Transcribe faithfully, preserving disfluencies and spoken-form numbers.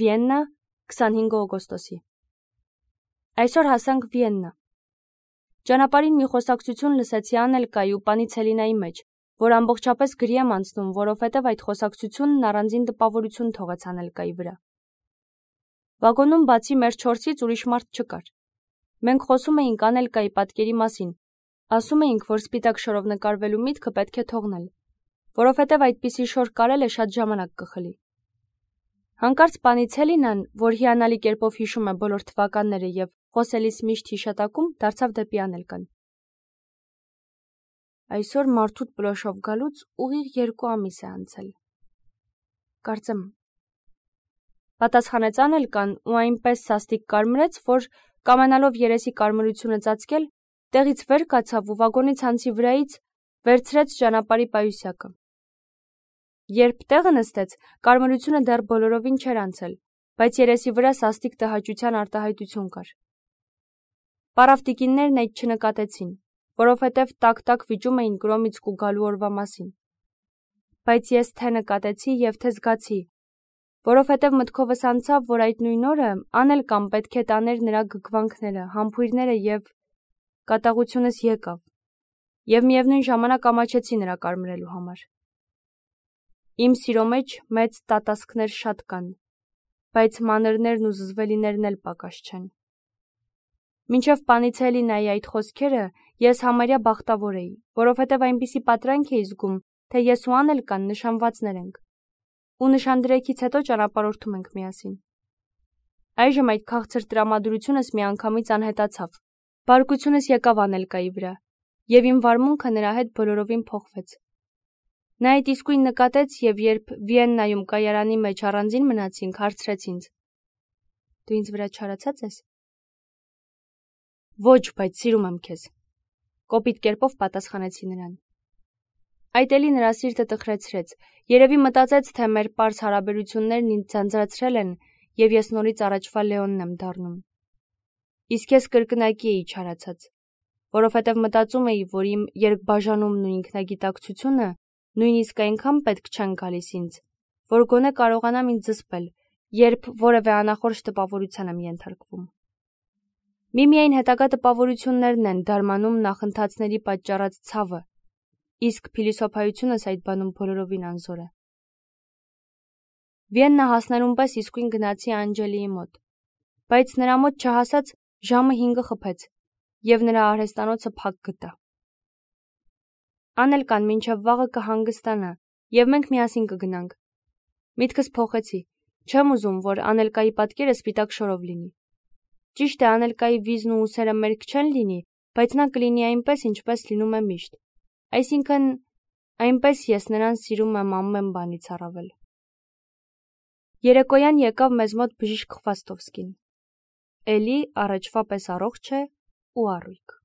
Վիեննա, քսանհինգ օգոստոսի։ Այսօր հասանք Վիեննա։ Ճանապարհին մի խոսակցություն լսեցի Անելկայի ու պանի Ցելինայի մեջ, որ ամբողջապես գրի եմ անցնում, որովհետև այդ խոսակցությունն առանձին տպավորություն թողեց Անելկայի վրա։ Վագոնում բացի մեր չորսից ուրիշ մարդ չկար։ Մենք խոսում էինք Անելկայի պատկերի մասին, ասում էինք, որ սպիտակ շորով նկարվելու միտքը պետք է թողնել, որովհետև այդպիսի շոր կարելը շատ ժամանակ կխլի։ Հանկարծ պանի Ցելինան, որ հիանալի կերպով հիշում է բոլոր թվականները եւ խոսելիս միշտ հիշատակում, դարձավ դեպի Անելկան։ Այսօր մարդուտ պլոշով գալուց ուղիղ երկու ամիս է անցել։ Կարծեմ։ Պատասխանեց Անելկան ու այնպես սաստիկ կարմրեց, որ կամենալով երեսի կարմրությունը ծածկել, տեղից վեր կացավ ու վագոնի ցանցի վրայից վերցրեց ճանապարհի պայուսակը։ Երբ տեղը նստեց, կարմրությունը դեռ բոլորովին չէր անցել, բայց երեսի վրա սաստիկ տհաճության արտահայտություն կար։ Պարավտիկիններն այդ չնկատեցին, որովհետև տակ-տակ վիճում էին Կրոմիցկու գալու օրվա մասին։ Բայց ես թե նկատեցի եւ թե զգացի, որովհետև մտքովս անցավ, որ այդ նույն օրը Անելկան պետք է տաներ նրա գգվանքները, համբույրները եւ կատաղությունս եկավ, եւ միևնույն ժամանակ ամաչեցի նրա կարմրելու համար։ Իմ սիրո մեջ մեծ տատասկներ շատ կան, բայց մանրներն ու զզվելիներն էլ պակաս չեն։ Մինչև պանի Ցելինայի այդ խոսքերը ես համարյա բախտավոր էի, որովհետև այնպիսի պատրանք էի զգում, թե ես ու Անելկան նշանվածներ ենք, ու նշանդրեքից հետո ճանապարհորդում ենք միասին։ Այժմ այդ քաղցր տրամադրությունս միանգամից անհետացավ, բարկությունս եկավ Անելկայի վրա, եւ իմ վարմունքը նրա հետ բոլորովին փոխվեց։ Նա այդ իսկույն նկատեց եւ երբ Վիեննայում կայարանի մեջ առանձին մնացինք, հարցրեց ինձ. Դու ինձ վրա չարացած ես։ Ոչ, բայց սիրում եմ քեզ, կոպիտ կերպով պատասխանեցի նրան։ Այդ էլի նրա սիրտը տխրեցրեց, երևի մտածեց, թե մեր պարզ հարաբերություններն ինձ ձանձրացրել են եւ ես նորից առաջվա Լեոնն եմ դառնում։ Իսկ ես կրկնակի էի չարացած, որովհետև մտածում էի, որ իմ երկբաժանումն ու ինքնագիտակցությունը նույնիսկ այնքան պետք չեն գալիս ինձ, որ գոնե կարողանամ ինձ զսպել, երբ որևէ անախորժ տպավորության եմ ենթարկվում։ Միմիայն հետագա տպավորություններն են դարմանում նախընթացների պատճառած ցավը, իսկ փիլիսոփայությունս այդ բանում բոլորովին անզոր է։ Վիեննա հասնելուն պես իսկույն գնացի Անջելիի մոտ, բայց նրա մոտ չհասած ժամը հինգը խփեց, եւ նրա արհեստանոցը փակ գտա։ Անելկան մինչև վաղը կհանգստանա, եւ մենք միասին կգնանք։ Միտքս փոխեցի, չեմ ուզում, որ Անելկայի պատկերը սպիտակ շորով լինի։ Ճիշտ է, Անելկայի վիզն ու ուսերը մերկ չեն լինի, բայց նա կլինի այնպես, ինչպես լինում է միշտ։ Այսինքն, այնպես ես նրան սիրում եմ ամեն բանից առավել։ Երեկոյան եկավ մեզ մոտ բժիշկ Խվաստովսկին։ Էլի առաջվա պես առողջ է ու առույգ։